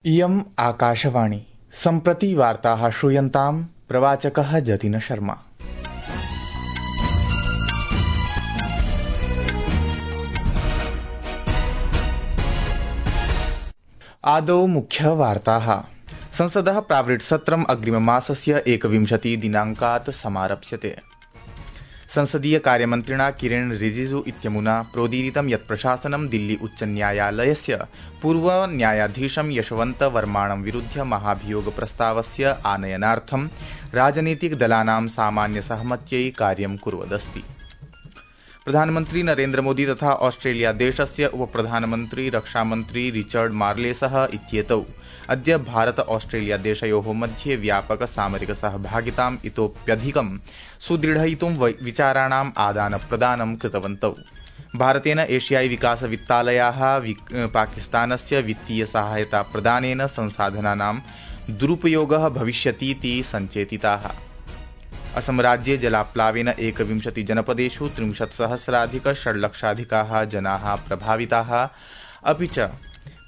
इयम् आकाशवाणी सम्प्रति वार्ताः श्रूयन्ताम् प्रवाचकः जतिन शर्मा। आदौ मुख्यवार्ताः। संसदः प्रावृट्सत्रम् अग्रिममासस्य 21 दिनाङ्कात् समारप्स्यते। संसदीय कार्यमन्त्रिणा किरेण रिजिजू इत्यमुना प्रोदीरितं यत् प्रशासनं दिल्ली उच्चन्यायालयस्य पूर्वन्यायाधीशं यशवन्त वर्माणं विरुध्य महाभियोगप्रस्तावस्य आनयनार्थं राजनीतिकदलानां सामान्यसहमत्यै कार्यं कुर्वदस्ति। प्रधानमन्त्री नरेन्द्रमोदी तथा ऑस्ट्रेलिया देशस्य उपप्रधानमन्त्री रक्षामन्त्री रिचर्ड मार्लेसः इत्येतौ अद्य भारत ऑस्ट्रेलिया देशयोः मध्ये व्यापक सामरिक सहभागिताम् इतोप्यधिकं सुदृढयितुं विचाराणाम् आदानप्रदानं कृतवन्तौ। भारतेन एशियाई विकास वित्तालयाः पाकिस्तानस्य वित्तीय सहायता प्रदानेन संसाधनानां दुरुपयोगः भविष्यतीति सञ्चेतिताः। असम राज्ये जलाप्लावेन 21 जनपदेषु 30,000 षड्लक्षाधिकाः जनाः प्रभाविताः। अपि च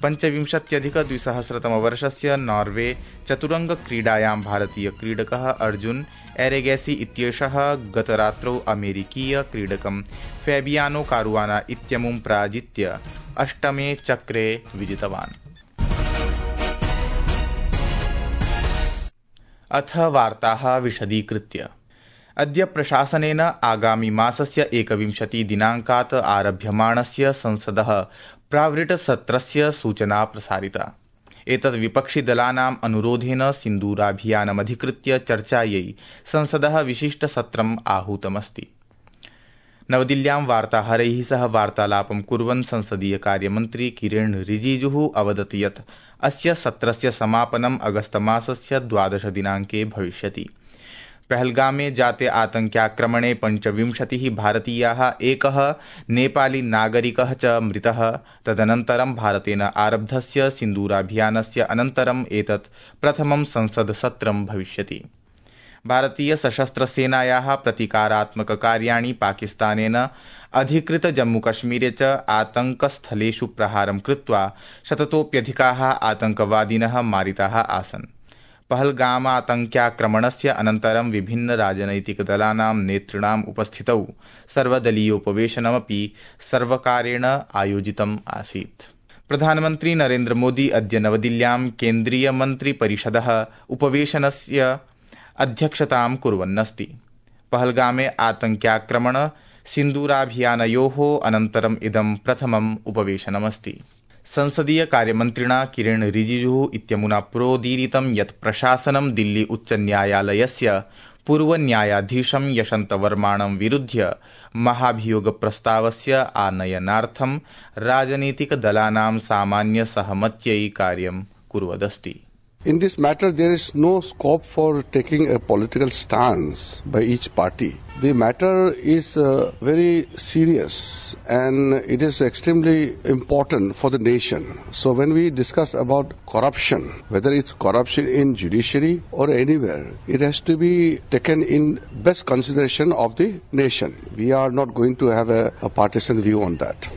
25,200 वर्षस्य नॉर्वे चतुरंगक्रीडायां भारतीय क्रीडकः अर्जुन एरेगैसी इत्येषः गतरात्रौ अमेरिकीय क्रीडकं फैबियानो कारुआना इत्यमुं पराजित्य 8मे चक्रे विजितवान्। अथ वार्ताः विशदीकृत्य। अद्य प्रशासनेन आगामि मासस्य 21 दिनाङ्कात् आरभ्यमाणस्य संसदः प्रावृट् सत्रस्य सूचना प्रसारिता। एतद् विपक्षिदलानाम् अनुरोधेन सिन्दूराभियानमधिकृत्य चर्चायै संसदः विशिष्टसत्रम् आहूतमस्ति। नवदिल्ल्यां वार्ताहरैः सह वार्तालापं कुर्वन् संसदीय कार्यमन्त्री किरेण रिजिजूः अवदत् यत् अस्य सत्रस्य समापनम् अगस्तमासस्य 12 दिनाङ्के भविष्यति। पहलगामे जाते आतङ्क्याक्रमणे 25 भारतीयाः, एकः नेपाली नागरिकः च मृतः। तदनन्तरं भारतेन आरब्धस्य सिन्दूराभियानस्य अनन्तरम् एतत् प्रथमं संसदसत्रं भविष्यति। भारतीय सशस्त्रसेनायाः प्रतीकारात्मककार्याणि पाकिस्तानेन अधिकृत जम्मूकश्मीरे च आतङ्कस्थलेषु प्रहारं कृत्वा शततोप्यधिकाः आतङ्कवादिनः मारिताः आसन्। पहलगामातङ्क्याक्रमणस्य अनन्तरं विभिन्न राजनैतिकदलानां नेतॄणाम् उपस्थितौ सर्वदलीयोपवेशनमपि सर्वकारेण आयोजितम् आसीत्। प्रधानमन्त्री नरेन्द्रमोदी अद्य नवदिल्ल्यां केन्द्रीयमन्त्रिपरिषदः उपवेशनस्य अध्यक्षतां कुर्वन्नस्ति। पहलगामे आतङ्क्याक्रमण सिन्दूराभियानयोः अनन्तरम् इदं प्रथमम् उपवेशनमस्ति। संसदीय कार्यमन्त्रिणा किरेण रिजिजूः इत्यमुना प्रोदीरितं यत् प्रशासनं दिल्ली उच्चन्यायालयस्य पूर्वन्यायाधीशं यशवन्त वर्माणं विरुध्य महाभियोगप्रस्तावस्य आनयनार्थं राजनीतिकदलानां सामान्यसहमत्यै कार्यं कुर्वदस्ति। In this matter, there is no scope for taking a political stance by each party. The matter is very serious and it is extremely important for the nation. So when we discuss about corruption, whether it's corruption in judiciary or anywhere, it has to be taken in best consideration of the nation. We are not going to have a partisan view on that.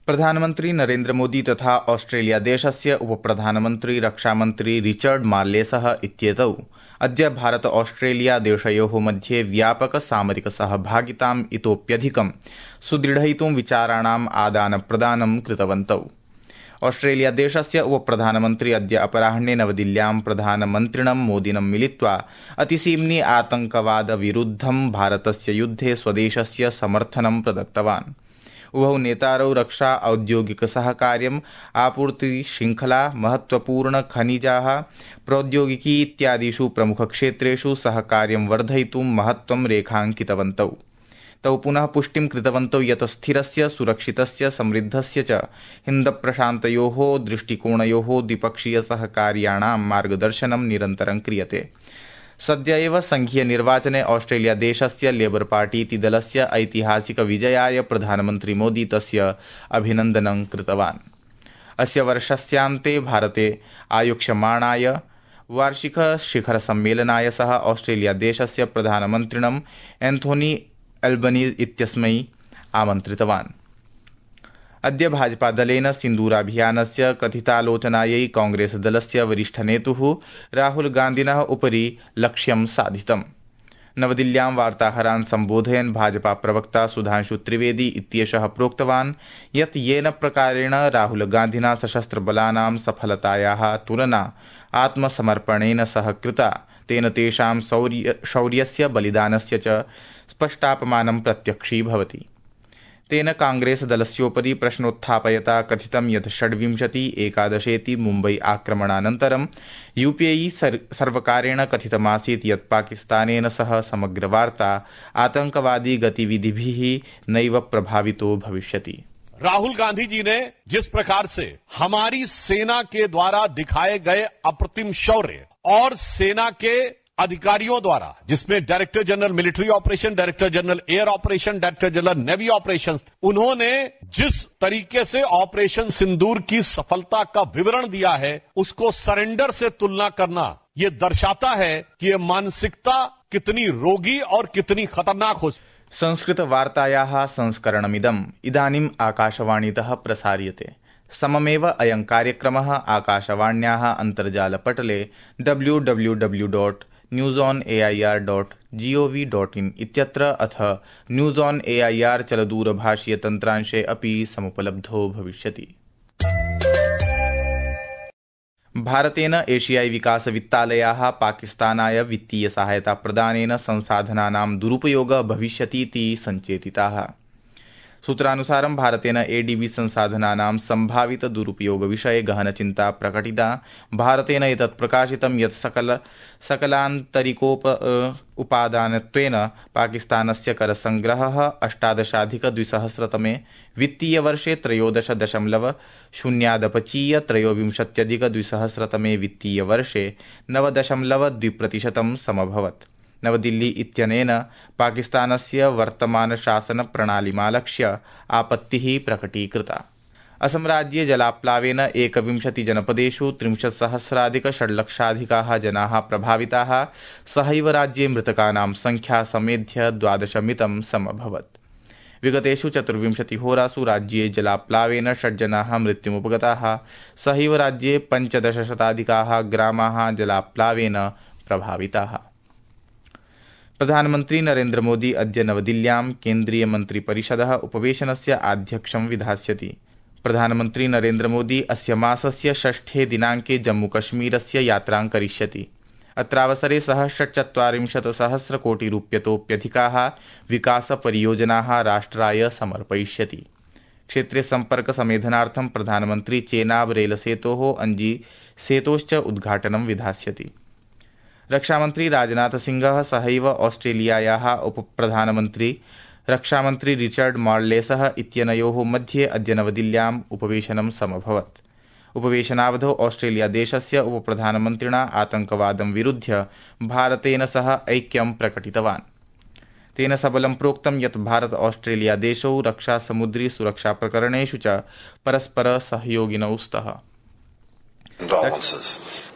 प्रधानमन्त्री नरेन्द्र मोदी तथा Australia देशस्य उपप्रधानमन्त्री रक्षामन्त्री Richard मार्लेसः इत्येतौ अद्य Bharata Australia देशयोः मध्ये व्यापक सामरिक सहभागिताम् इतोप्यधिकं सुदृढयितुं विचाराणाम् आदानप्रदानं कृतवन्तौ। ऑस्ट्रेलिया देशस्य उपप्रधानमन्त्री अद्य अपराह्ने नवदिल्ल्यां प्रधानमन्त्रिणं मोदिनं मिलित्वा अतिसीम्नि आतङ्कवाद विरुद्धं भारतस्य युद्धे स्वदेशस्य समर्थनं प्रदत्तवान्। उभौ नेतारौ रक्षा, औद्योगिक सहकार्यम्, आपूर्ति श्रृंखला, महत्वपूर्ण खनिजाः, प्रौद्योगिकी इत्यादिषु प्रमुखक्षेत्रेषु सहकार्यं वर्धयितुं महत्त्वं रेखाङ्कितवन्तौ। तौ पुनः पुष्टिं कृतवन्तौ यत् स्थिरस्य, सुरक्षितस्य, समृद्धस्य च हिन्दप्रशान्तयोः दृष्टिकोणयोः द्विपक्षीय सहकार्याणां मार्गदर्शनं निरन्तरं क्रियते। सद्य एव संघीय निर्वाचने ऑस्ट्रेलिया देशस्य लेबर पार्टी इति दलस्य ऐतिहासिक विजयाय प्रधानमन्त्री मोदी तस्य अभिनन्दनं कृतवान्। अस्य वर्षस्यान्ते भारते आयोक्ष्यमाणाय वार्षिक शिखर सम्मेलनाय सह ऑस्ट्रेलिया देशस्य प्रधानमन्त्रिणं एन्थोनी एल्बनीज़ इत्यस्मै आमन्त्रितवान्। अद्य भाजपादलेन सिन्दूराभियानस्य कथितालोचनायै कांग्रेसदलस्य वरिष्ठनेतुः राहुल गान्धिनः उपरि लक्ष्यं साधितम्। नवदिल्ल्यां वार्ताहरान् सम्बोधयन् भाजपा प्रवक्ता सुधांशु त्रिवेदी इत्येषः प्रोक्तवान् यत् येन प्रकारेण राहुल गान्धिना सशस्त्रबलानां सफलतायाः तुलना आत्मसमर्पणेन सह कृता तेन तेषां शौर्यस्य बलिदानस्य च स्पष्टापमानं प्रत्यक्षीभवति। तेन कांग्रेसदलस्योपरि प्रश्नोत्थापयता कथितं यत् 26/11 मुम्बई आक्रमणानन्तरं यूपीए सर्वकारेण कथितमासीत् यत् पाकिस्तानेन सह समग्रवार्ता आतंकवादी गतिविधिभिः नैव प्रभावितो भविष्यति। राहुल गांधी जी ने जिस प्रकार से हमारी सेना के द्वारा दिखाए गए अप्रतिम शौर्य और सेना के अधिकारियों द्वारा, जिसमें director general military operation, director general air operation, director general navy operations, उन्होंने जिस तरीके से ऑपरेशन सिंदूर की सफलता का विवरण दिया है उसको सरेंडर से तुलना करना ये दर्शाता है कि ये मानसिकता कितनी रोगी और कितनी खतरनाक हो। संस्कृत वार्तायाः संस्करणमिदम् इदानीम् आकाशवाणीतः प्रसार्यते। सममेव अयं कार्यक्रमः आकाशवाण्याः अन्तर्जालपटले www.newsonair.gov.in इत्यत्र अथ न्यूज ऑन एआईआर चलदूरभाषीय तन्त्रांशे अपि समुपलब्धो भविष्यति। भारतेन एशियाई विकास वित्तालयाः पाकिस्तानाय वित्तीय सहायता प्रदानेन संसाधनानां दुरुपयोगः भविष्यतीति सञ्चेतिताः। सूत्रानुसारं भारतेन एडीबी संसाधनानां संभावित दुरुपयोग विषये गहनचिन्ता प्रकटिता। भारतेन एतत् प्रकाशितं यत् सकलान्तरिकोपादानत्वेन पाकिस्तानस्य करसंग्रहः 18अधिक-2000 वित्तीयवर्षे 13.0 त्रयोविंशत्यधिक-2000 वित्तीयवर्षे 9.2% समभवत्। नवदिल्ली इत्यनेन पाकिस्तानस्य वर्तमानशासनप्रणालीमालक्ष्य आपत्तिः प्रकटीकृता। असम राज्ये जलाप्लावेन 21 जनपदेषु 30,000,000 जनाः प्रभाविताः। सहैव राज्ये मृतकानां संख्या समेध्य 12 समभवत्। विगतेषु 24 होरासु राज्ये जलाप्लावेन 6 जनाः मृत्युमुपगताः। सहैव राज्ये 15,000 ग्रामाः जलाप्लावेन प्रभाविताः। प्रधानमन्त्री नरेन्द्र मोदी अद्य नवदिल्ल्यां केन्द्रीय मन्त्रिपरिषदः उपवेशनस्य आध्यक्ष्यं विधास्यति। प्रधानमन्त्री नरेन्द्र मोदी अस्य मासस्य 6 दिनाङ्के जम्मूकश्मीरस्य यात्रां करिष्यति। अत्रावसरे सः 40,000 कोटिरूप्यतोप्यधिकाः विकासपरियोजनाः राष्ट्राय समर्पयिष्यति। क्षेत्रे सम्पर्कसमेधनार्थं प्रधानमन्त्री चेनाब रेलसेतोः अंजी सेतोश्च उद्घाटनं विधास्यति। रक्षामन्त्री राजनाथ सिंहः सहैव ऑस्ट्रेलियायाः उपप्रधानमन्त्री रक्षामन्त्री रिचर्ड मार्लेसः इत्यनयोः मध्ये अद्य नवदिल्ल्याम् उपवेशनं समभवत्। उपवेशनावधौ ऑस्ट्रेलिया देशस्य उपप्रधानमन्त्रिणा आतंकवादं विरुध्य भारतेन सह ऐक्यं प्रकटितवान्। तेन सबलं प्रोक्तं यत् भारत ऑस्ट्रेलिया देशौ रक्षा समुद्री सुरक्षा प्रकरणेषु च परस्पर सहयोगिनौ स्तः।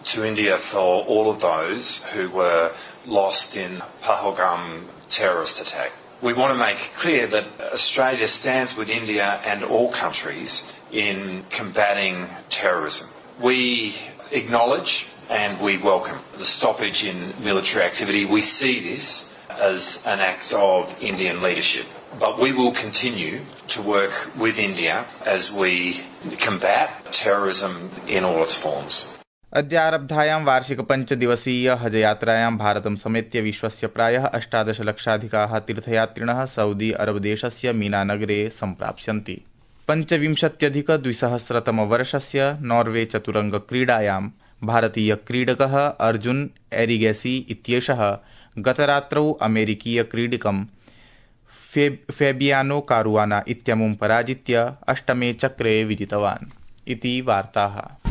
To India for all of those who were lost in Pahalgam terrorist attack. We want to make clear that Australia stands with India and all countries in combating terrorism. We acknowledge and we welcome the stoppage in military activity. We see this as an act of Indian leadership. But we will continue to work with India as we combat terrorism in all its forms. अद्य आरब्धायां वार्षिक 5 दिवसीय हज यात्रायां भारतं समेत्य विश्वस्य प्रायः 18 लक्षाधिकाः तीर्थयात्रिणः सऊदी अरब देशस्य मीना नगरे सम्प्राप्स्यन्ति। 25-अधिक-2000 वर्षस्य नॉर्वे चतुरंग क्रीडायां भारतीय क्रीडकः अर्जुन एरिगेसी इत्येषः गतरात्रौ अमेरिकीय क्रीडकं फेबियानो कारुआना इत्यमुं पराजित्य 8मे चक्रे विजितवान्। इति वार्ताः।